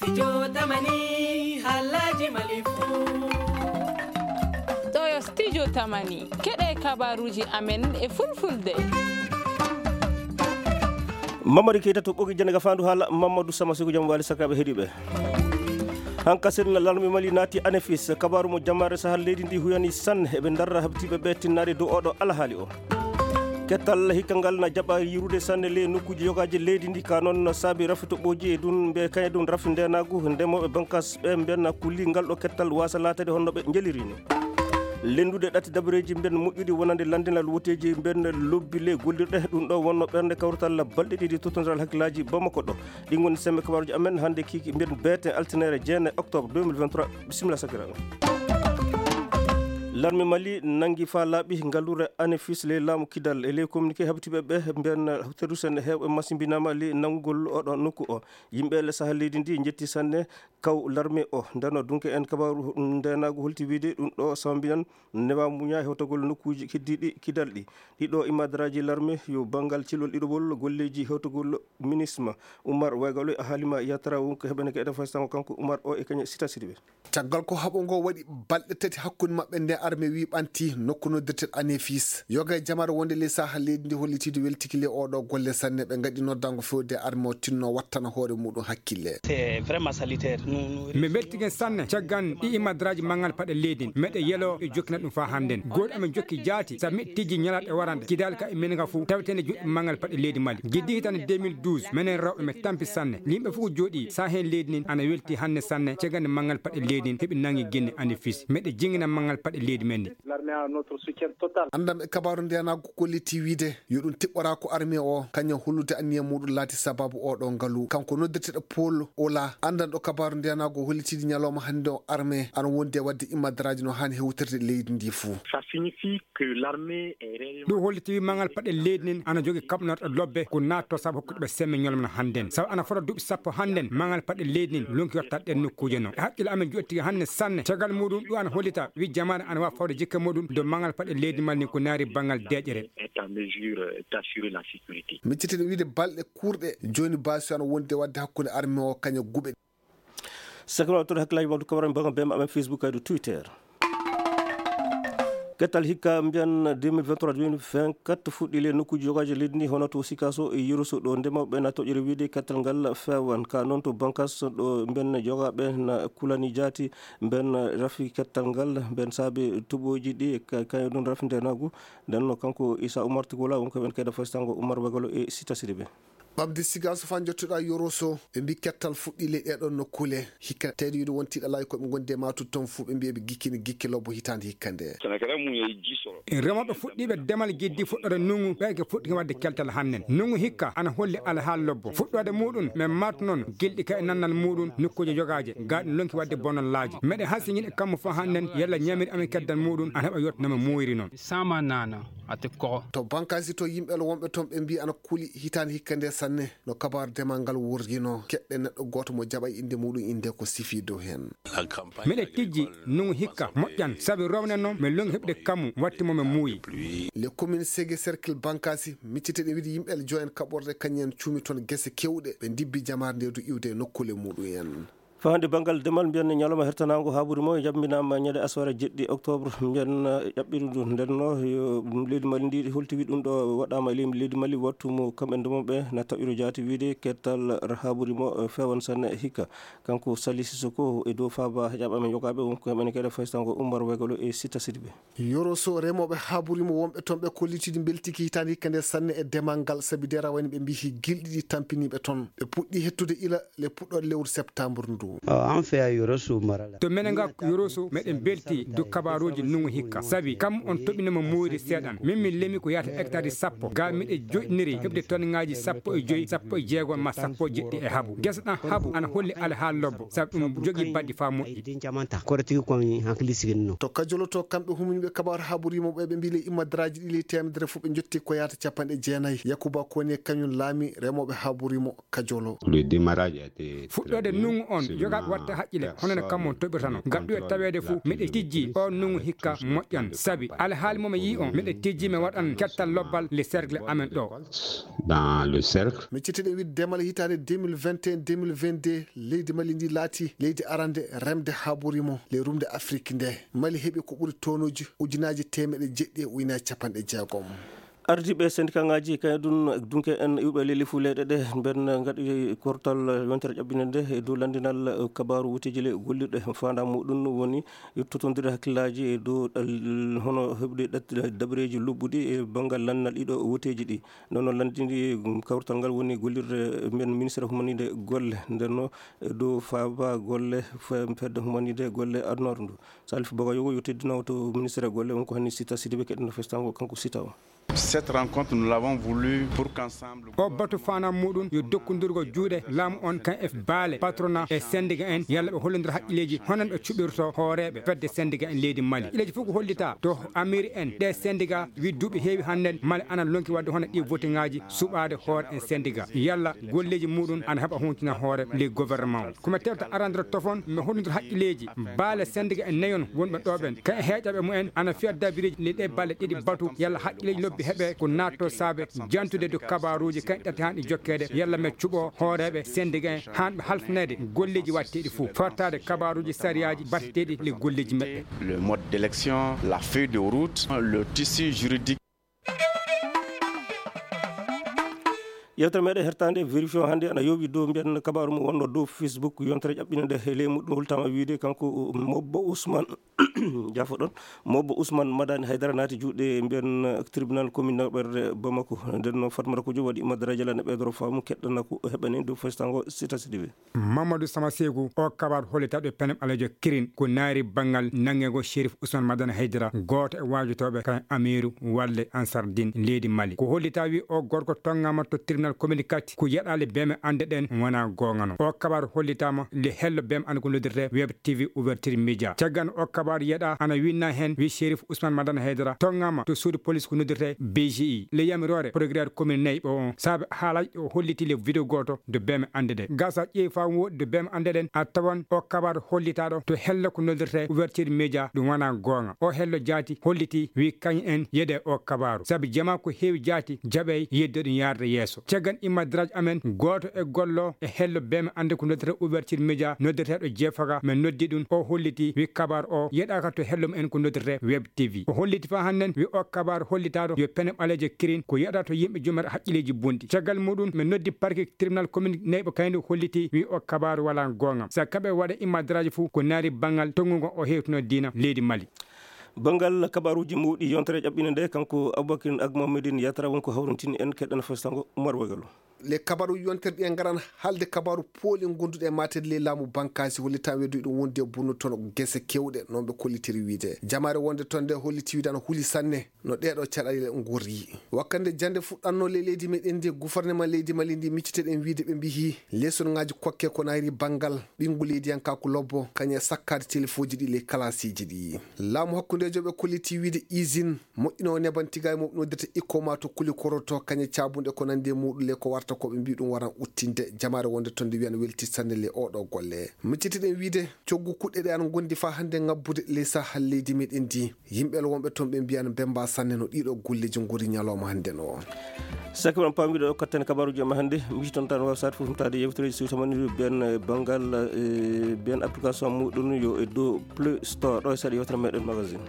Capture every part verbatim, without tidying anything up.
Studio Tamani, halaji malifu. Ɗo yo Studio Tamani, keɗe kabaruji amen e fulfulde. Mamadi Keita to ɓogi jene ga fandu hala Mamadou Sama Sekou jam wali sakaɓe heɗiɓe. Hanka sen larme Mali nati anefis kabaru mo jamare sahal leydi ndi huyani sanne eɓe darra habtiɓe ɓe tinnade dow oɗo alahali o. Kettal hikka ngal na jaɓa yirude sanne ley nokkuji yogaji leydi ndi ka noon saabi rafi toɓɓoji e ɗum mbe kañe ɗum rafi ndenagu ndemoɓe bankas ɓe mbenna kulli ngal ɗo kettal wasa latade honno ɓe jeliri ni. Lenndude ɗatti dabareeji mben moƴƴuɗi wonande lanndinal woteeji mben lobbi le gollirɗe ɗum ɗo wonno ɓernde kawrital balɗe ɗiɗi tottondiral hakkillaaji Bamako ɗo. Ɗi ngoni semme kabaruji amen hannde kiki mben beete altinere jeene octobre deux mille vingt-trois. Bisimilla sakiraaɓe. Larme Mali nangi fa laaɓi ngallure anefis ley laamu Kidal e ley communiqué habitiɓe ɓe mben terus en heewɓe masimbinama ley nanngugol oɗo nokku o. Yimɓe le saha leydi ndi njetti sanne kaw larme o ndeno dunke en kabaru ndenagu holti wiide ɗum ɗo sambinan newa muña hewtagol nokkuji keddiɗi Kidal ɗi. Ɗiɗo imadraji larme yo bangal cilol ɗiɗowol golleji hewtagol minisma Umar Waygalo e Halima Yatara wonko heɓene ke eden faysango kanko Umar o e kañe sita sidiɓe. Caggal ko haɓo ngo waɗi balɗe tati hakkunde maɓɓe nde arme wi ɓanti nokku noddirteɗo Anefis yoga e jamaare wonde ley saha leydi ndi hollitiiɗo weltiki ley oɗo golle sanne ɓe ngaɗi noddango fewde arme o tinno wattana hoore muɗum hakkille. C'est vraiment salutaire. Nous, nous Min mbeltigen sanne caggan ɗi imadraji mangal paɗe leydi meɗe yelo e jokkina ɗum fa hannden goɗi amin jokki jaati sabu miɗo tijji ñalaɗe warande kidal ka e min ga fuu tawetende joɗɗi mangal paɗe leydi Mali giddi hitande deux mille douze menen rewɓe mi tampi sanne yimɓe fof jooɗi sa heen leydi nin ana welti hannde sanne cagande manngal paɗe leydi nin heɓi nangi genne Anefis meɗe jingina manngal paɗe leydi men ndi. L'armée a notre soutien total. Anndam e kabaru ndenagu kolliti wiide yo ɗum tiɓɓora ko armée o kañum hollude anniya muɗum laati sababu oɗo ngalu kanko noddirteɗo Paul Ola anndanɗo kabaru ndenagu hollitiiɗi ñalawma hannde o armée ana wondi e waɗde imadraji no haani hewtirde leydi ndi fuu. Ça signifie que l'armée est réellement ɗum holliti wi mangal paɗe leydi nin ana jogi kaɓnorɗo lobbe ko natto sabu hokkude ɓe semme ñolmana hannden sabu ana fota duuɓi sappo hannden mangal paɗe leydi nin lonki watta ɗen nokkuje no e haqqille amen joɗtigi hannde sanne caggal muɗum ɗum ana hollita wi jamaare ana wawa fawde jikke muɗum dow mangal paɗe leydi mal nin ko naari bangal deƴƴere. Est en mesure d'assurer la sécurité. Miccitiɗo wiide balɗe kurɗe joni basi ana wondi e waɗde hakkunde armée o kaña guɓe. Sakirawa toon hakkillaaji makko kabaran banga bema amen Facebook kaydo Twitter. Kettal hikka mbiyan deux mille vingt-trois deux mille vingt-quatre fuɗɗi le nokkuji jogaji leydi ndi hono to Sikaso e Yoroso ɗo ndemawɓe na toƴƴere wiide kettal ngal fewan ka noon to bankas ɗo mben jogaɓe na kulani jaati mben rafi kettal ngal mben saabi toɓoji ɗi kañum ɗum rafi ndenagu ndenno kanko Issa Oumar Tigola wonko ɓen kayda fasitango Oumar Wagalo e Sita Sidibe. Ɓamde Sigaso fa jottoɗa Yoroso ɓe mbi kettal fuɗɗi ley ɗeɗon nokkule hikka tawde wiide wonti ɗalaji koɓe gondi e matude toon fuu ɓe mbi eɓe gikkini gikke lobbo hitande hikka nde. Remooɓe fuɗɗiiɓe demal giddi fuɗɗoore ndunngu ɓe ke fuɗɗike waɗde keltal hannden ndunngu hikka ana holli alhaal lobbo fuɗɗoode muɗum men matu noon gilɗi ka e nannal muɗum nokkuuje jogaaje ga ɗum lonki waɗde bonallaaji meɗe hasiñiɗe kammu fof hannden yalla ñamiri amen keddal muɗum ana heɓa yottanama muuyri noon. Sama nana ate ko to bankasi to yimɓe wonɓe toon ɓe mbi ana kuli hitande hikka nde sanne. No kabaru demal ngal wurjino keɗɗe neɗɗo gooto mo jaɓa innde muɗum innde ko sifi dow heen. Miɗe tijji nungu hikka moƴƴan sabi rowne noon mi longi heɓde kammu watti mo mi muuyi. Les communes Ségué cercle Bankasi miccite ɗe wiɗi yimɓe Eljo en kaɓorde kañum en cuumi toon gese kewɗe ɓe ndibbi jamaare nde du iwde e nokkule muɗum en. Fahande banngal demal mbiyen ñalawma hertanaango haaburi mo jabbinaama ñande aswara jeɗɗi octobre mbiyen ƴaɓɓiri ndu ndenno yo leydi mali ndi holti wi ɗum ɗo waɗaama e leydi mali wattu mo kamɓe ndemoɓe na taƴiro jaati wiide kettal haaburi mo fewan sanne hikka kanko sali sisoko e dow faaba jaɓaɓe jogaaɓe wonko heɓene kede faysango ummar wegalo e sitta sidiɓe. Yoroso remooɓe haaburi mo wonɓe toon ɓe kollitiiɗi mbeltiki hitaande hikka nde sanne e demal ngal sabi dera wayno ɓe mbiyi gilɗi ɗi tampiniiɓe toon ɓe puɗɗi hettude ila le puɗɗoɗe lewru septembre ndu. To menen ga Yoroso meɗen belti du kabaruji nungu hikka sabi kam on toɓinoma muuyri seeɗan min min lemi ko yaata hectare sappo ga miɗe joɗiniri heɓde tonne ngaji sappo e joyi sappo e jeego ma sappo e jeɗɗi e habu gesa ɗan habu ana holli alhaal lobbo sabi ɗum jogi baddi fa moƴƴi. Koɗo tigi ko hankali sigini no. To kajoloto kamɓe huminiɓe kabaru haburimo ɓe ɓe mbi ley immadraji ɗi ley temedere fof ɓe jotti ko yaata capanɗe jeenayi yakuba koni e kañum laami remoɓe haburimo kajolo. Fuɗɗoode nungu on Jogaaɓe watta haqqile hono no kammo toɓirtano. Gaɗɗu e taweede fuu miɗe tijji o nungu hikka moƴƴan. Sabi alhaali mo mi yii on miɗe tijji mi waɗan kettal lobbal le cercle amen ɗo. Dans le cercle. Mi citiɗen wiide demal hitaande deux mille vingt et un deux mille vingt-deux, leydi Mali ndi laati leydi arande remde haa ɓuri mo le rumde Afrik nde. Mali heɓi ko ɓuri tonuuji ujunaaji teemeɗe jeɗɗi e ujunaaji capanɗe jeegom. Ardiiɓe syndicat ŋaaji kañum ɗum dunke en iwɓe leli fuu leyɗe ɗe mben ngaɗi kortal yontere ƴaɓɓinde nde e dow lanndinal kabaaru wuteeji le gollirɗe faandaa muɗum woni yettotondire hakkillaaji e dow ɗal hono heɓde ɗat- dabareeji lobbuɗi e banngal lanndinal ɗiɗo wuteeji ɗi. Nden noon lanndini kawrital ngal woni gollirde mben ministre humanide golle nden no e dow faaba golle fe- fedde humanide golle adunaaru ndu. Salif Bagayogo yo teddinoo to ministre golle won ko hanni Sita Sidibe keɗen festango kanko Sita o. Cette rencontre, nous l'avons voulu pour qu'ensemble o batu faanam muɗum yo dokkondirgo juuɗe laamu on kan e baale patronat e syndicat en yalla ɓe hollondira haqqilleeji hono ɓe cuɓirto hooreeɓe fedde syndicat en leydi Mali. Haqqilleeji fof ko hollita to amiri en ɗe syndicat wi duuɓi heewi hannden Mali ana lonki waɗde hono ɗi votingaaji suɓaade hoore en syndicat yalla golleeji muɗum ana heɓa huntina hoore le gouvernement. Ko mi tewta arandira tofon mi hollondira haqqilleeji baale syndicat en nayon wonɓe ɗo ɓen kan e heeƴaɓe mumen ana fiya dabireeji le ɗe balle ɗiɗi batu yalla haqqilleeji lobbi heɓe ko naatto saabe jantude dow kabaaruuji kan ɗati han ɗi jokkeede yalla mi cuɓo hooreeɓe syndicat en han ɓe halfineede golleeji watteeɗi fof fartaade kabaaruuji sariyaaji batteteeɗi le golleeji meɗɗe. Le mode d'élection, la feuille de route, le tissu juridique. Yewtere meɗen hertande vérifion hannde ana yowi dow mbiyan kabaaru mo wonno dow Facebook yontere ƴaɓɓinde nde e ley muɗum holtama wiide kanko mobbo Ousmane jafo ɗon mobbo Ousmane Madani Haydara naati juuɗe mbiyan tribunal commune nawɓerde Bamako. Nden noon Fatmata Kojo waɗi madarajala ne ɓeydoro faamu keɗɗana ko heɓani dow festango Sita Sidibe. Mamadou Sama Seegu o kabaru hollitaɗo e pene ɓaleejo kirin ko naari banngal nanngego Sherif Ousmane Madani Haydara gooto e waajotooɓe kan amiiru walde Ansar Din leydi Mali ko hollita wi o gorko tonngama to tribunal communiqué ko yeɗaale beme annde ɗen wona goongano o kabaru hollitama le hello beme annde ko noddirte web T V ouverture média caggan o kabaru yeɗa ana winna heen wi Sherif Ousmane Madani Haydara tonngama to suudu police ko noddirte B G I le yamiroore procureur commune nayyi ɓo on saabe haalaji ɗo holliti le vidéo gooto de beme annde ɗe gasa ƴeewi faa wooɗi de beme annde ɗen a tawan o kabaru hollitaɗo to hello ko noddirte ouverture média ɗum wona goonga o hello jaati holliti wi kañum en yeɗe o kabaru sabi jama ko heewi jaati jaɓey yedde ɗum yaarde yeeso caggan immadraji amen gooto e gollo e hello beme annde ko noddirte ouverture média noddirteɗo jeefaga min noddi ɗum o holliti wi kabaru o yeɗaka to hello mum en ko noddirte web T V o holliti faa hannden wi o kabaru hollitaɗo yo pene ɓaleejo kirin ko yeɗata to yimɓe jumata haqqilleeji bonɗi caggal muɗum min noddi parquet tribunal commune nayɓo kayndi holliti wi o kabaru wala goonga sa kaɓe waɗa immadraji fof ko naari banngal tonngugo o hewtino diina leydi Mali. Banngal kabaruuji mawɗi yontere ƴaɓɓinde nde kanko Aboubacrine Agmamedine Yatara wonko hawrintini en keɗɗana festango Umar Wagalo. Le kabaru yontere ɗi en ngaran haalde kabaru pooli gonduɗe e matede ley laamu bankaasi hollitan wedduɗi ɗum wondi e bonnude toon gese kewɗe noon ɓe kollitiri wiide jamaare wonde toon nde holliti wiide ana huli sanne no ɗeeɗo caɗale ngorri wakkande jannde fuɗɗanno ley leydi meɗen ndi gouvernement leydi Mali ndi micciteɗen wiide ɓe mbiyi lesonŋaaji kokke ko nayri banngal ɓinngu leydiyankaaku lobbo kañum e sakkaade telefoji ɗi ley kalasiiji ɗi laamu hakkundeejo ɓe kolliti wiide usine moƴƴinoowo neban tigaay mum noddirta ikko ma to kuli koroto kañe caabunɗe ko nandi e muɗum le ko warta ko ɓe mbi ɗum waran uttinde jamaare wonde toon nde wiyan welti sanne le oɗo golle miccitiɗen wiide coggu kuɗɗe ɗe an gondi fa hannde ngabbude ley sahal leydi meɗen ndi yimɓe wonɓe toon ɓe mbiyan bemba sanne no ɗiɗo golleji ngori ñalawma hannde no. Sake mon paamiɗo o kattani kabaruji ma hannde micciton tan waw sat fof mtaade yewtere so tamaniɗo ben banngal ben application muɗum yo e dow Play Store ɗo e saɗa yewtere meɗen magazine.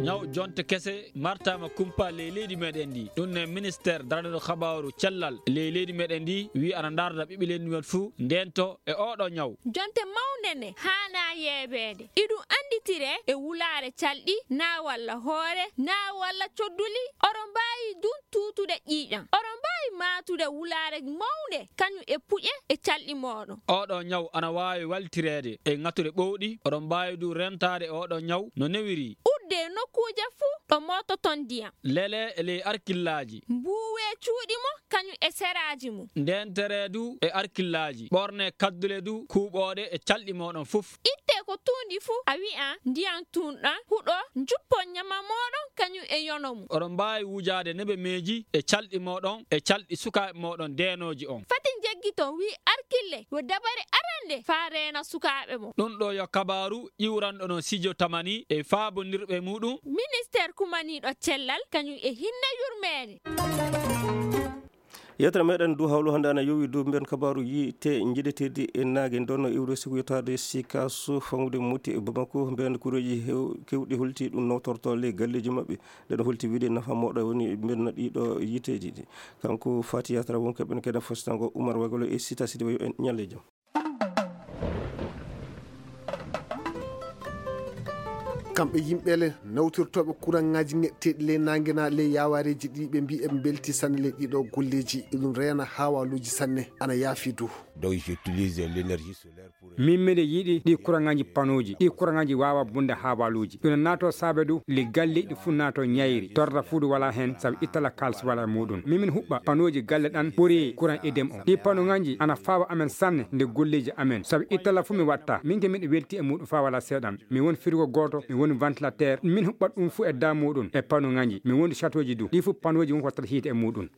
Ñaw jonte kese martama kumpa ley leydi meɗen ndi ɗum ne ministère daraɗo habaru cellal ley leydi meɗen ndi wi ana darda ɓiɓɓe leydi men fuu ndento e oɗo ñaw. Jonte mawnde ne haana yeebeede iɗum annditire e wulaare calɗi naa walla hoore naa walla codduli oɗo mbaawi dun tuutude ƴiiƴam oɗo mbaawi maatude wulaare mawnde kañum e puƴe e calɗi mooɗon. Oɗo ñaw ana waawi waltireede e ŋatuɗe ɓowɗi oɗo mbaawi du rentaade e oɗo ñaw no newiri. Udde nokkuuje fuu ɗo moototon ndiyam. Lele e ley arkillaaji. Mbuuwe cuuɗi mo kañum e seraaji mum. Ndeentere du e arkillaaji ɓorne kaddule du kuuɓooɗe e calɗi mooɗon fof. Itte Ko tuundi fuu a wi'an ndiyan tuunɗan huɗo, njuppon ɲama mooɗon kaɲum e yono mum. Oɗon mbaawi wujaade nebemeeji e calɗi mooɗon e calɗi sukaaɓe mooɗon deenooji on. Fati njeggiton, wi'i Arkille, yo dabare arande faa reena sukaaɓe mum. Ɗun ɗoo yo kabaaru iwranɗo no Sijo Tamani e faabondirɓe muuɗum. Ministeer kumaniiɗo cellal kaɲum e hinnee yurmeende. Yewtere meɗen du hawlu hannde ana yowi du mbiyen kabaaru yiite njiɗeteeɗi e naage ndonno iwre siku yottaade sikasu fangude muti e Bamako. Mbiyen kureeji hew-, kewɗi holti ɗum nawtorto le galleeji maɓɓe. Nde ɗo holti wiide nafa mawɗo woni mbiyen no ɗiɗo yiiteeji ɗi. Kanko Fati Yatra wonko ɓen kene fostango Umar Wagolo e Sita Sidibe yo en ñalle jam. Kamɓe yimɓe le nawtirtooɓe kuraŋaaji ŋeɗteeɗi ley naange na ley yaawareeji ɗi ɓe mbii eɓe mbelti sanne ley ɗiɗo golleeji. Eɗum reena haawaaluuji sanne, ana yaafi du. Donc, j'utilise l'énergie solaire pour min miɗo yiɗi ɗi kuraŋaaji panooji. Ɗi kuraŋaaji waawa bunde haawaaluuji. Ɗum naato saabe du le galleeji ɗi fuu naato ñayri. Torra fuu du wala heen sabu ittala kaalis wala e muuɗum. Min min huɓɓa panooji galle ɗan ɓuri kuraŋ edem o. Ɗi panoŋaaji ana faawa amen sanne nde golleeji amen. Sabu ittala fuu mi watta. Min ke miɗo welti e muuɗum faa wala seeɗan. Mi woni frigo gooto, mi woni ventilateur. Min huɓɓat ɗum fuu e daa muuɗum e panoŋaaji. Mi woni châteauji du. Ɗi fuu panooji won ko wattata hiite e muuɗum.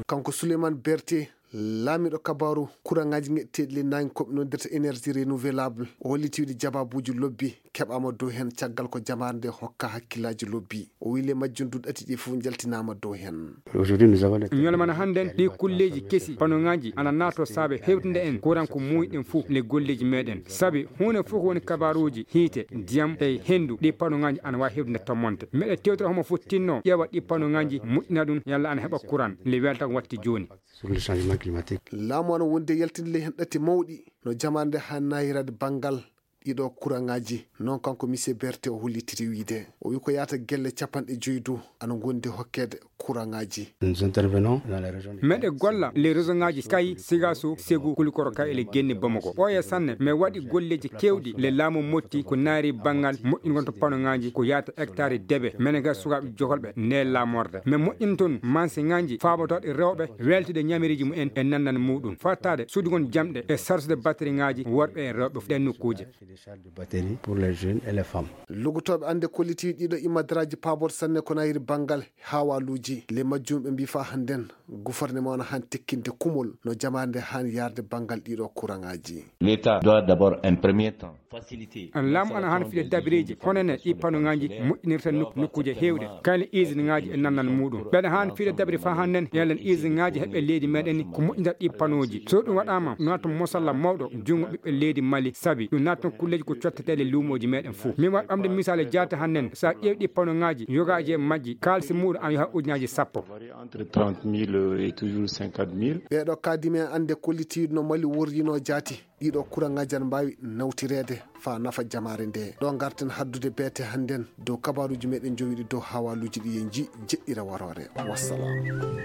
Kanko Souleymane Berté, laamiiɗo kabaaru kuraŋaaji ŋeɗteeɗi ley naange ko ɓe noddirta énergie renouvelable, o holliti wiide jabaabuuji lobbi keɓaama dow heen caggal ko jamaare nde hokka hakkillaaji lobbi. O wi'i le majjum duɗɗati ɗi fof njaltinaama dow heen. Aujourd'hui, nous avons les ñalawma hannde ɗi kulleeji kesi, panoŋaaji ana naato saabe hewtinde en kuran ko muuyiɗen fof le golleeji meɗen. Sabi huunde fof ko woni kabaaruuji hiite, ndiyam e henndu, ɗi panoŋaaji ana waawi hewtinde tommonte. Meɗe tewtira homo fof tinno ƴeewa ɗi panoŋaaji moƴƴina ɗum yalla ana heɓa kuran le welta ko watti jooni. Sur le changement climatique. Laamu ana wondi e yaltinde le heen ɗatti mawɗi no jamaare nde haa naayiraade banngal ɗiɗo kuraŋaaji. Noon kanko Monsieur Berté o hollitiri wiide, o wi ko yaata gelle capanɗe joyi du ana ngondi hokkeede kuraŋaaji. Nous intervenons dans la région de Meɗe golla le région ŋaaji Kayi, Sigaso, Segu, Kulikoro ka e le genne Bamako. Ɓooya sanne, mi waɗi golleeji keewɗi le laamu motti ko naari banngal moƴƴingol to panoŋaaji ko yaata hectare debe. Mene ga sukaaɓe jokolɓe nde laamorde. Mi moƴƴin toon mansiŋaaji faabotooɗe rewɓe weltude ñamiriiji mumen e nanndal muuɗum. Fattaade sudugol jamɗe e sarsude batteriŋaaji worɓe e rewɓe ɗen nokkuuje. Des charges de batterie pour les jeunes et les femmes. Lugotooɓe annde kolliti ɗiɗo imadaraaji paaboto sanne ko nayiri banngal haawaaluuji. Le majjum ɓe mbii faa hannden gufarnema on haan tekkinde kumol no jamaande haan yaarde banngal ɗiɗo kuraŋaaji. L'État doit d'abord en premier temps faciliter. Laamu ana haan fiɗe dabireeji honene ɗi panoŋaaji moƴƴinirta nok-, nokkuuje heewɗe. Kayla usine ŋaaji e nanndal muuɗum. Ɓeɗa haan fiɗe dabiri faa hannden yallan usine ŋaaji heɓe leydi meɗen ni ko moƴƴinta ɗi panooji. So ɗum waɗaama naata mosalla mawɗo junngo ɓiɓɓe leydi Mali sabi ɗum naatan kulleeji ko cotteteeɗe luumooji meɗen fof. Min waɗi ɓamde misaale jaate hannden so a ƴeewi ɗi panoŋaaji yogaaji e majji kaalisi muuɗum ana yaha ujunnaaji sappo. Entre trente mille et toujours cinquante mille. Ɓeeɗo kaadimi en annde kollitiiɗo no Mali worrinoo jaati. Ɗiɗo kuraŋaaji ana mbaawi nawtireede faa nafa jamaare nde. Ɗo ngarten haddude beete hannden dow kabaaruuji meɗen jowiɗi dow haawaaluuji ɗi en nji jeɗɗira waroore. Wassalam.